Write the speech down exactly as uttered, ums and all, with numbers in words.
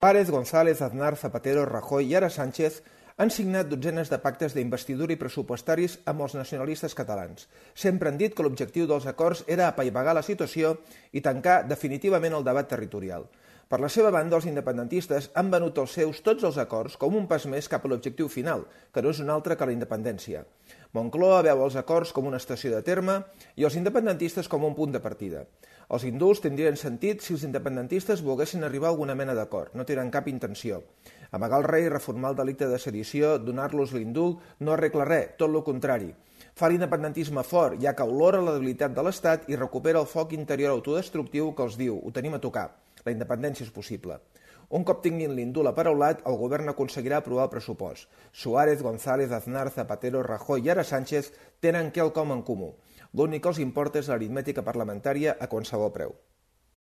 Suárez, González, Aznar, Zapatero, Rajoy i ara Sánchez han signat dotzenes de pactes d'investidura i pressupostaris amb els nacionalistes catalans. Sempre han dit que l'objectiu dels acords era apaivagar la situació i tancar definitivament el debat territorial. Per la seva banda, els independentistes han venut els seus tots els acords com un pas més cap a l'objectiu final, que no és un altre que la independència. Moncloa veu els acords com una estació de terme i els independentistes com un punt de partida. Els indults tindrien sentit si els independentistes volguessin arribar a alguna mena d'acord, no tenen cap intenció. Amagar el rei, reformar el delicte de sedició, donar-los l'indult, no arregla res, tot el contrari. Fa l'independentisme fort, ja que olora la debilitat de l'Estat i recupera el foc interior autodestructiu que els diu, ho tenim a tocar, la independència és possible. Un cop tinguin l'indult aparaulat, el govern aconseguirà aprovar el pressupost. Suárez, González, Aznar, Zapatero, Rajoy i ara Sánchez tenen quelcom en comú. L'únic que els importa és l'aritmètica parlamentària a qualsevol preu.